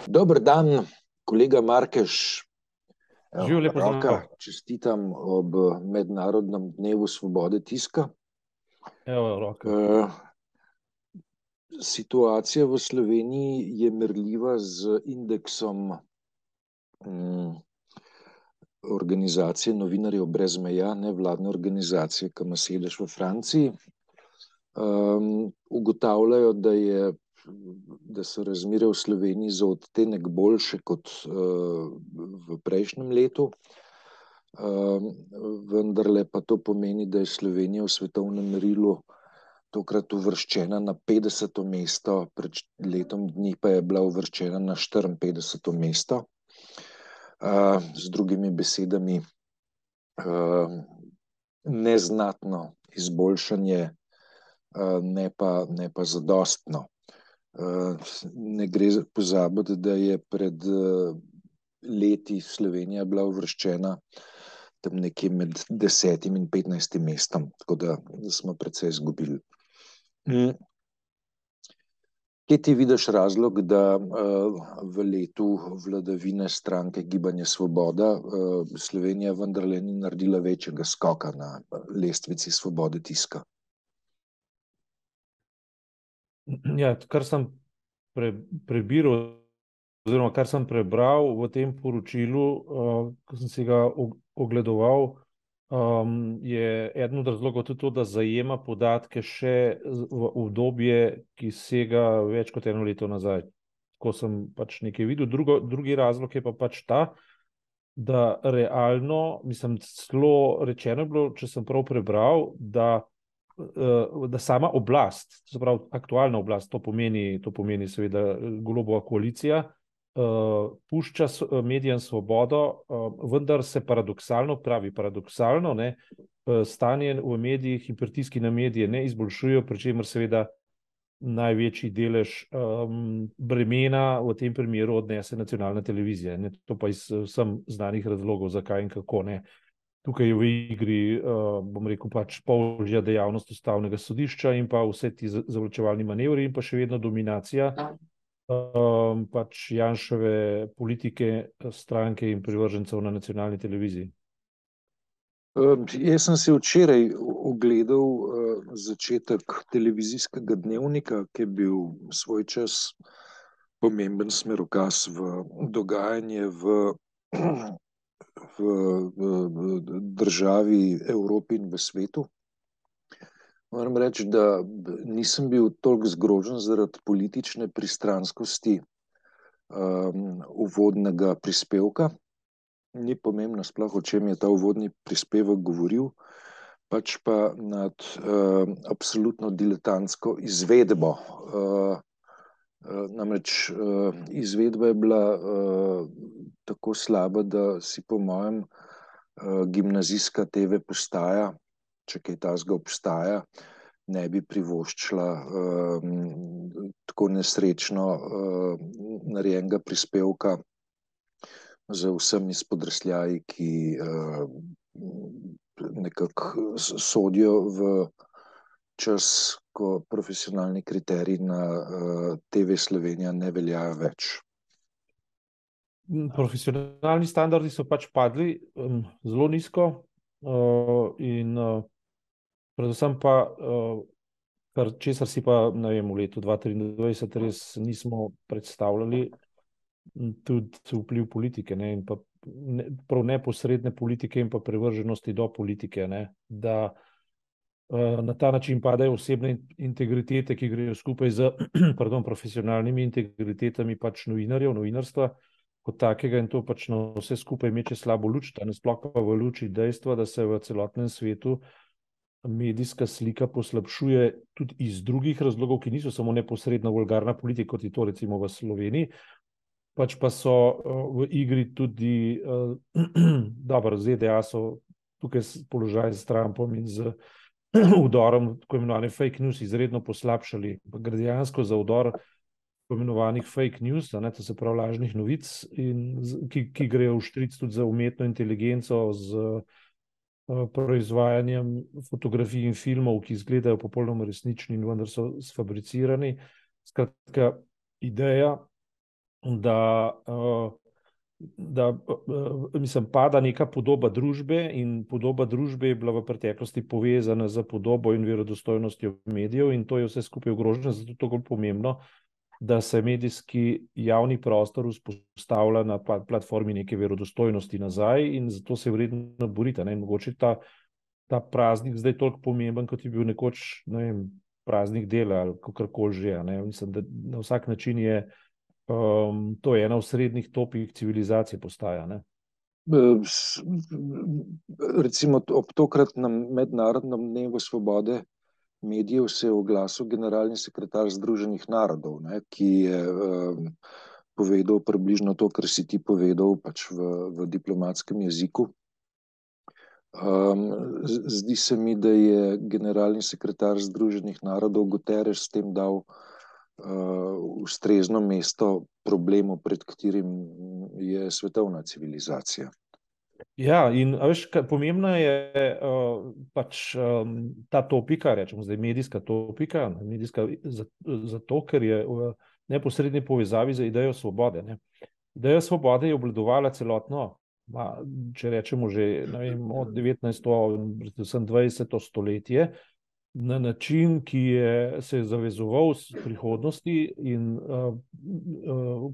Dober dan, kolega Markeš. Živijo, Evo, lepo Roka, zdrav. čestitam ob Mednarodnem dnevu svobode tiska. Evo, roke. Eh, Situacija v Sloveniji je merljiva z indeksom mm, organizacije Novinarjev brez meja, nevladne organizacije, ki ima sedež v Franciji. Ugotavljajo, da so razmere v Sloveniji za odtenek boljše kot v prejšnjem letu. Vendarle pa to pomeni, da je Slovenija v svetovnem merilu tokrat uvrščena na 50. mesto, pred letom dni pa je bila uvrščena na 54. mesto. Z drugimi besedami, neznatno izboljšanje, ne pa zadostno. Ne gre pozabiti, da je pred leti Slovenija bila uvrščena tam nekje med 10. in 15. mestom, tako da smo precej izgubili. Kje ti vidiš razlog, da v letu vladavine stranke Gibanje Svoboda Slovenija vendarle ni naredila večjega skoka na lestvici svobode tiska? Ja, kar sem prebiral, oziroma kar sem prebral v tem poročilu, ko sem si ga ogledoval, je eden od razlogov tudi to, da zajema podatke še v obdobje, ki sega več kot eno leto nazaj. Ko sem pač nekaj videl. Drugi razlog je pa pač ta, da realno, mislim, celo rečeno je bilo, če sem prav prebral, da sama oblast, to se pravi aktualna oblast, to pomeni seveda Golobova koalicija, pušča medijem svobodo, vendar se paradoksalno, ne, stanje v medijih in pritiski na medije ne izboljšujejo, pri čemer seveda največji delež bremena v tem primeru odnese nacionalna televizija. Ne, to pa iz vsem znanih razlogov, zakaj in kako ne. Tukaj je v igri, bom rekel, pač polžja dejavnost ustavnega sodišča in pa vse ti zavlačevalni manevri in pa še vedno dominacija pač Janševe politike, stranke in privržencev na nacionalni televiziji. Jaz sem si včeraj ogledal začetek televizijskega dnevnika, ki je bil svoj čas pomemben smerokaz v dogajanje v državi, Evropi in v svetu. Moram reči, da nisem bil toliko zgrožen zaradi politične pristranskosti uvodnega prispevka. Ni pomembno sploh, o čem je ta uvodni prispevek govoril, pač pa nad absolutno diletantsko izvedbo. Namreč izvedba je bila tako slaba, da si po mojem gimnazijska TV postaja, če kaj takega obstaja, ne bi privoščila tako nesrečno narejenega prispevka z vsemi spodrsljaji, ki nekako sodijo v čas, ko profesionalni kriteriji na TV Slovenija ne veljajo več. Profesionalni standardi so pač padli zelo nizko in predvsem pa, česar si pa, ne vem, v letu 2023 res nismo predstavljali, tudi vpliv politike, ne, in pa prav neposredne politike in pa privrženosti do politike, ne, da na ta način padajo osebne integritete, ki grejo skupaj z profesionalnimi integritetami pač novinarjev, novinarstva kot takega, in to pač na vse skupaj meče slabo luč, sploh pa v luči dejstva, da se v celotnem svetu medijska slika poslabšuje tudi iz drugih razlogov, ki niso samo neposredno vulgarna politika, kot je to recimo v Sloveniji, pač pa so v igri tudi dobro, ZDA so tukaj položaj s Trumpom in z vdorom tako imenovane fake news izredno poslabšali. Gre dejansko za vdor tako imenovanih fake news, to se pravi lažnih novic, ki grejo v štric tudi za umetno inteligenco, z proizvajanjem fotografij in filmov, ki izgledajo popolnoma resnični in vendar so sfabricirani. Skratka, ideja da, mislim, pada neka podoba družbe in podoba družbe je bila v preteklosti povezana z podobo in verodostojnostjo medijev in to je vse skupaj ogroženo, zato je to bolj pomembno, da se medijski javni prostor vzpostavlja na platformi neke verodostojnosti nazaj in zato se je vredno boriti. Mogoče ta praznik zdaj toliko pomemben, kot je bil nekoč, ne vem, praznik dela ali kakorkoli že. Mislim, da na vsak način je to je ena osrednjih topih civilizacije postaja. Recimo ob tokratnem mednarodnem dnevu svobode medijev se je oglasil generalni sekretar Združenih narodov, ki je povedal približno to, kar si ti povedal pač v diplomatskem jeziku. Zdi se mi, da je generalni sekretar Združenih narodov Guterres s tem dal ustrezno mesto problemu, pred katerim je svetovna civilizacija. Ja, in veš, pomembna je pač ta topika, rečemo zdaj medijska topika, medijska zato, ker je v neposredni povezavi z idejo svobode. Ideja svobode je obvladovala celotno, če rečemo že, ne vem, od 19. predvsem 20. stoletje, na način, ki se je zavezoval v prihodnosti in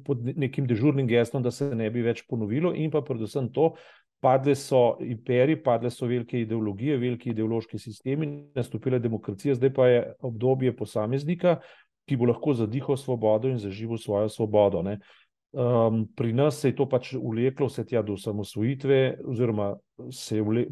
pod nekim dežurnim gestom, da se ne bi več ponovilo, in pa predvsem to, padle so imperiji, padle so velike ideologije, veliki ideološki sistemi, nastopila demokracija, zdaj pa je obdobje posameznika, ki bo lahko zadihal svobodo in zaživel svojo svobodo. Pri nas se je to pač vleklo vse tja do osamosvojitve, oziroma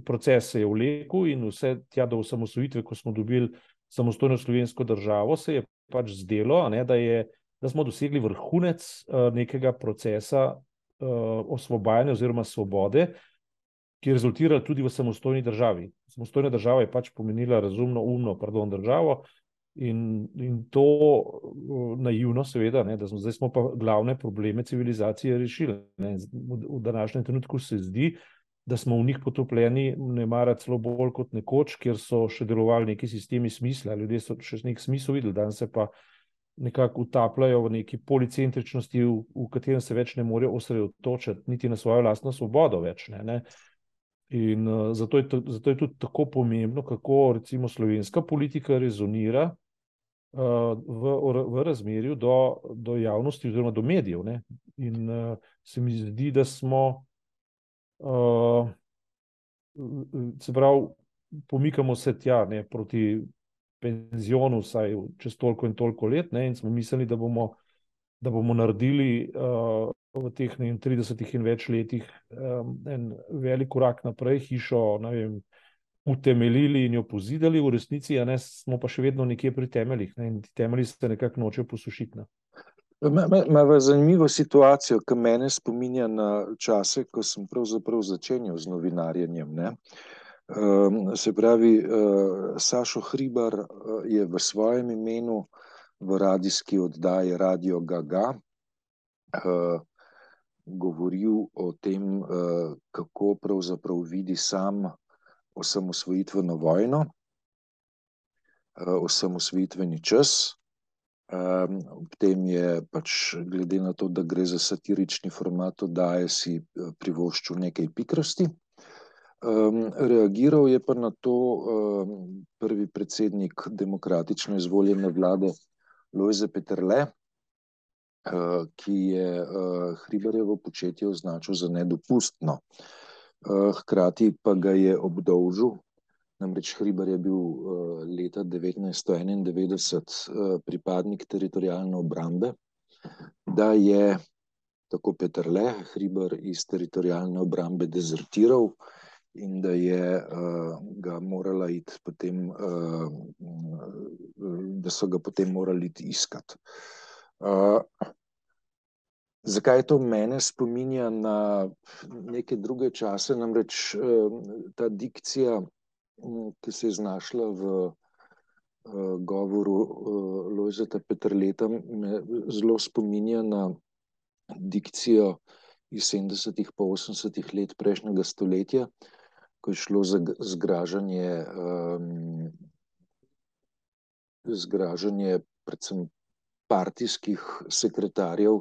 proces se je vlekel in vse tja do osamosvojitve, ko smo dobili samostojno slovensko državo, se je pač zdelo, da smo dosegli vrhunec nekega procesa osvobajanja oziroma svobode, ki je rezultiral tudi v samostojni državi. Samostojna država je pač pomenila razumno, državo, in to naivno seveda, da zdaj smo pa glavne probleme civilizacije rešili. V današnjem trenutku se zdi, da smo v njih potopljeni nemara celo bolj kot nekoč, kjer so še delovali neki sistemi smisla, ljudje so še nek smisel videli, danes se pa nekako utapljajo v neki policentričnosti, v katerem se več ne morejo osredotočiti niti na svojo lastno svobodo več. In zato je tudi tako pomembno, kako recimo slovenska politika rezonira v razmerju do javnosti oziroma do medijev. In se mi zdi, da smo se pravi, pomikamo se tja proti penzionu vsaj čez toliko in toliko let, in smo mislili, da bomo naredili v teh 30 in več letih en velik korak naprej, hišo, ne vem, utemeljili in jo pozidali, v resnici, smo pa še vedno nekje pri temeljih, in ti temelji se nekako nočejo posušiti. Imamo zanimivo situacijo, ki mene spominja na čase, ko sem pravzaprav začenjal z novinarjenjem. Se pravi, Sašo Hribar je v svojem imenu v radijski oddaji Radio Gaga govoril o tem, kako pravzaprav vidi sam osamosvojitveno vojno, osamosvojitveni čas. Ob tem je pač, glede na to, da gre za satirični format oddaje, si privoščil nekaj pikrosti. Reagiral je pa na to prvi predsednik demokratično izvoljene vlade Lojze Peterle, ki je Hribarjevo početje označil za nedopustno. Hkrati pa ga je obdolžil, namreč Hribar je bil leta 1991 pripadnik teritorialne obrambe, da je, tako Peterle, Hribar iz teritorialne obrambe dezertiral in da je ga morala iti potem, da so ga potem morali iti iskati. Zakaj to mene spominja na neke druge čase, namreč ta dikcija, ki se je znašla v govoru Lojzeta Peterleta, me zelo spominja na dikcijo iz 70. pa 80. let prejšnjega stoletja, ko je šlo za zgražanje predvsem partijskih sekretarjev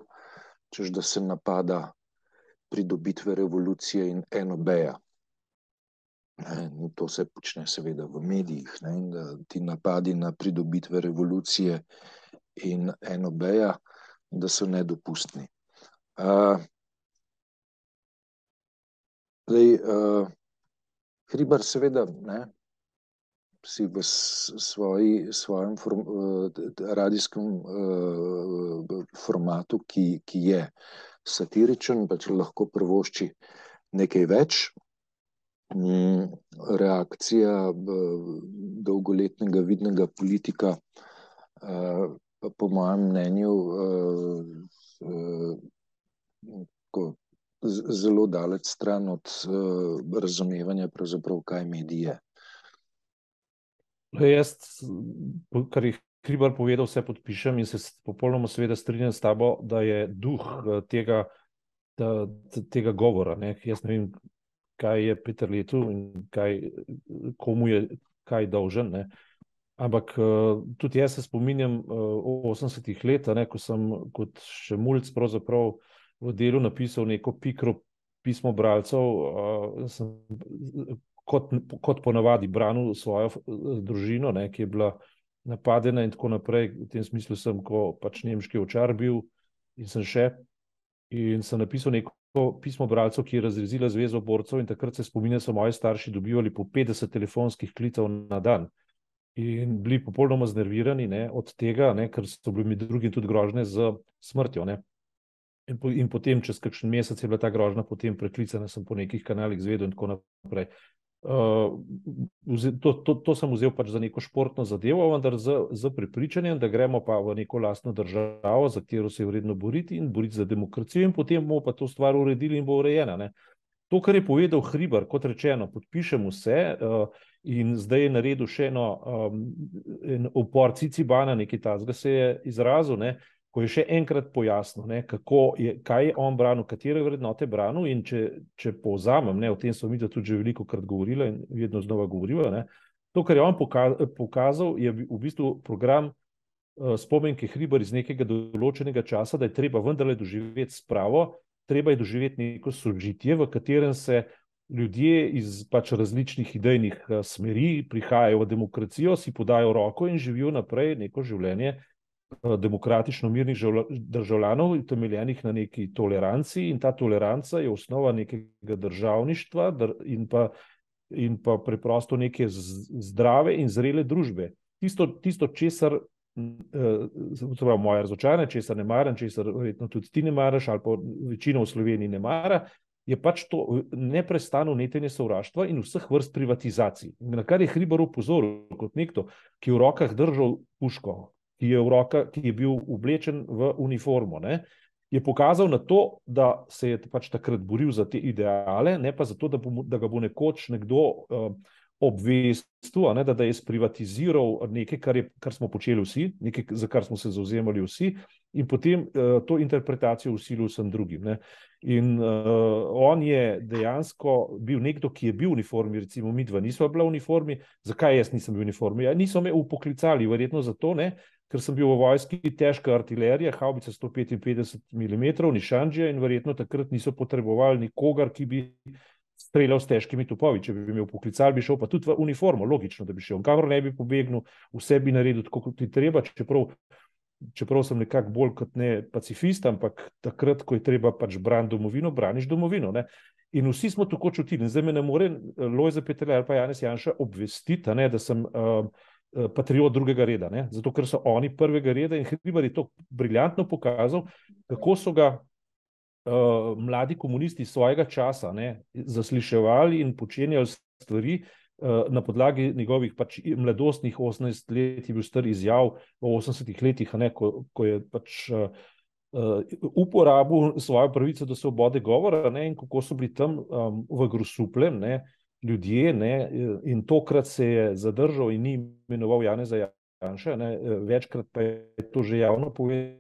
češ da se napada pridobitve revolucije in NOB-ja. To se počne seveda v medijih, ne, in da ti napadi na pridobitve revolucije in NOB-ja, da so nedopustni. Hribar seveda, ne, si v svojem radijskem formatu, ki je satiričen, pač lahko privošči nekaj več. Reakcija dolgoletnega vidnega politika pa po mojem mnenju zelo daleč stran od razumevanja pravzaprav, kaj medij je. Jaz, kar je Hribar povedal, vse podpišem in se popolnoma seveda strinjam s tabo, da je duh tega govora, ne. Jaz ne vem, kaj je Peter Letu in komu je kaj dolžen, ne. Ampak tudi jaz se spominjam 80-ih let, ne, ko sem kot še mulc pravzaprav v Delu napisal neko pikro pismo bralcev, sem kot ponavadi branil svojo družino, ne, ki je bila napadena in tako naprej. V tem smislu sem, ko pač nemški ovčar bil in sem napisal neko pismo bralcev, ki je razrezila Zvezo borcev, in takrat se spominjam, so moji starši dobivali po 50 telefonskih klicev na dan. In bili popolnoma znervirani, ne, od tega, ne, ker so bili med drugim tudi grožnje z smrtjo, ne. In potem, čez kakšen mesec je bila ta grožnja potem preklicana, sem po nekih kanalih izvedel in tako naprej. To sem vzel pač za neko športno zadevo, vendar z prepričanjem, da gremo pa v neko lastno državo, za katero se je vredno boriti in boriti za demokracijo, in potem bomo pa to stvar uredili in bo urejena, ne. To, kar je povedal Hribar, kot rečeno, podpišem vse, in zdaj je naredil še en upor Cicibana, nekaj takega se je izrazil, ne, ko je še enkrat pojasnil, ne, kaj je on branil, katere vrednote branil, in če povzamem, ne, o tem smo mi tudi že velikokrat govorili in vedno znova govorijo, ne, to, kar je on pokazal, je v bistvu program Spomenke Hribar iz nekega določenega časa, da je treba vendarle doživeti spravo, treba je doživeti neko sožitje, v katerem se ljudje iz pač različnih idejnih smeri prihajajo v demokracijo, si podajo roko in živijo naprej neko življenje demokratično mirnih državljanov, utemeljenih na neki toleranci, in ta toleranca je osnova nekega državništva in pa preprosto neke zdrave in zrele družbe. Tisto, česar moja razočaranje, česar ne maram, česar verjetno tudi ti ne maraš, ali pa večina v Sloveniji ne mara, je pač to neprestano netenje sovraštva in vseh vrst privatizacij. Na kar je Hribar opozoril kot nekdo, ki je v rokah držal puško, ki je bil oblečen v uniformo, ne, je pokazal na to, da se je pač takrat boril za te ideale, ne pa zato, da ga bo nekoč nekdo obvestil, ne, da je sprivatiziral nekaj, kar smo počeli vsi, nekaj, za kar smo se zavzemali vsi, in potem to interpretacijo vsilil vsem drugim, ne. In on je dejansko bil nekdo, ki je bil v uniformi, recimo midva nisva bila v uniformi. Zakaj jaz nisem bil v uniformi? Niso me upoklicali, verjetno zato, ne, ker sem bil v vojski težka artilerija, havbica 155 mm, nišanđija, in verjetno takrat niso potrebovali nikogar, ki bi streljal s težkimi topovi. Če bi me upoklicali, bi šel pa tudi v uniformo, logično, da bi šel. Kamor ne bi pobegnil, vse bi naredil tako, kot ti treba, čeprav sem nekako bolj kot ne pacifist, ampak takrat, ko je treba pač braniti domovino, braniš domovino, ne. In vsi smo tako čutili. In zdaj me ne more Lojze Peterle ali pa Janez Janša obvestiti, ne, da sem patriot drugega reda, ne, zato ker so oni prvega reda, in Hribar je to briljantno pokazal, kako so ga mladi komunisti svojega časa, ne, zasliševali in počenjali stvari na podlagi njegovih pač mladostnih 18 let je bil star izjav v 80-ih letih, ne, ko je pač uporabil svojo pravico do svobode govora, ne, in kako so bili tam v Grosupljem, ne, ljudje, ne, in tokrat se je zadržal in ni imenoval Janeza Janše, ne, večkrat pa je to že javno povedal,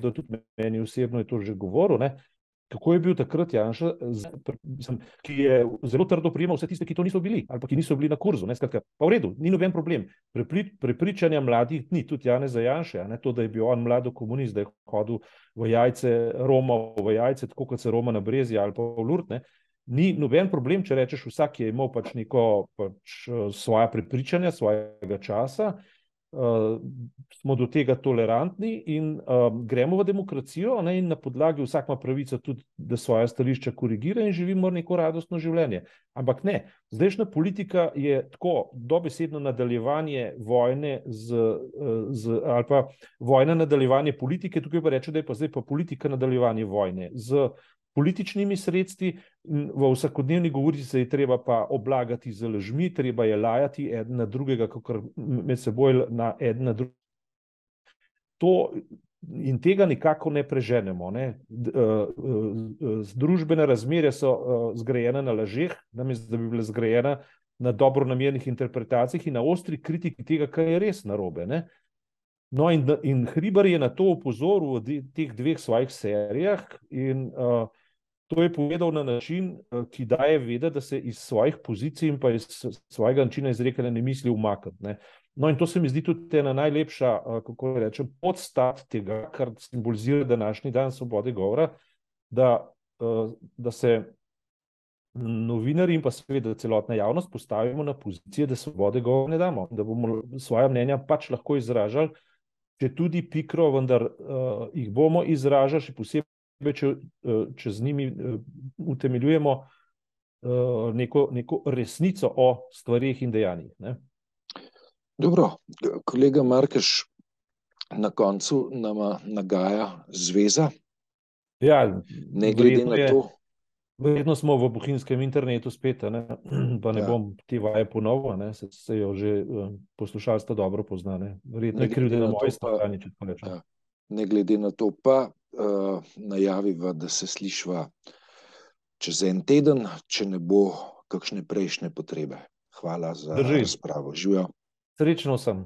tudi meni osebno je to že govoril, ne, kako je bil takrat Janša, ki je zelo trdo prijemal vse tiste, ki to niso bili, ali pa ki niso bili na kurzu. Skratka, pa v redu, ni noben problem. Prepričanja mladih ni, tudi Janeza Janše, to, da je bil on mlado komunist, da je hodil v jajce, Roma v jajce, tako kot se Roma na Brezje ali pa v Lurd, ni noben problem, če rečeš, vsak je imel pač neko svoja prepričanja, svojega časa. Smo do tega tolerantni in gremo v demokracijo, in na podlagi vsak ima pravico tudi, da svoje stališča korigira in živimo neko radostno življenje. Ampak ne, zdajšnja politika je tako dobesedno nadaljevanje vojne ali pa vojna nadaljevanje politike, tukaj pa reče, da je pa zdaj pa politika nadaljevanje vojne z političnimi sredstvi. V vsakodnevni govori se je treba pa oblagati z lažmi, treba je lajati eden na drugega, kakor med seboj na eden na drugega. In tega nikako ne preženemo. Družbene razmere so zgrajene na lažeh, namesto da bi bile zgrajene na dobronamernih interpretacijah in na ostri kritiki tega, kar je res narobe. No, in Hribar je na to opozoril v teh dveh svojih serijah in to je povedal na način, ki daje vedeti, da se iz svojih pozicij in pa iz svojega načina izrekanja ne misli umakniti. No, in to se mi zdi tudi ena najlepša, kako rečem, podstat tega, kar simbolizira današnji dan svobode govora, da se novinarji in pa seveda celotna javnost postavimo na pozicije, da svobode govora ne damo, da bomo svoja mnenja pač lahko izražali, če tudi pikro, vendar jih bomo izražali, še posebej, če z njimi utemeljujemo neko resnico o stvarih in dejanjih. Dobro, kolega Markeš, na koncu nama nagaja zveza. Ja, ne glede na to. Verjetno smo v bohinjskem internetu spet, pa ne bom te vaje ponovil, se jo že poslušalstvo dobro pozna. Verjetno je krivda na moji strani, če tako rečem. Ne glede na to pa najaviva, da se slišva čez en teden, če ne bo kakšne prejšnje potrebe. Hvala za razpravo. Živjo. Srečno sem.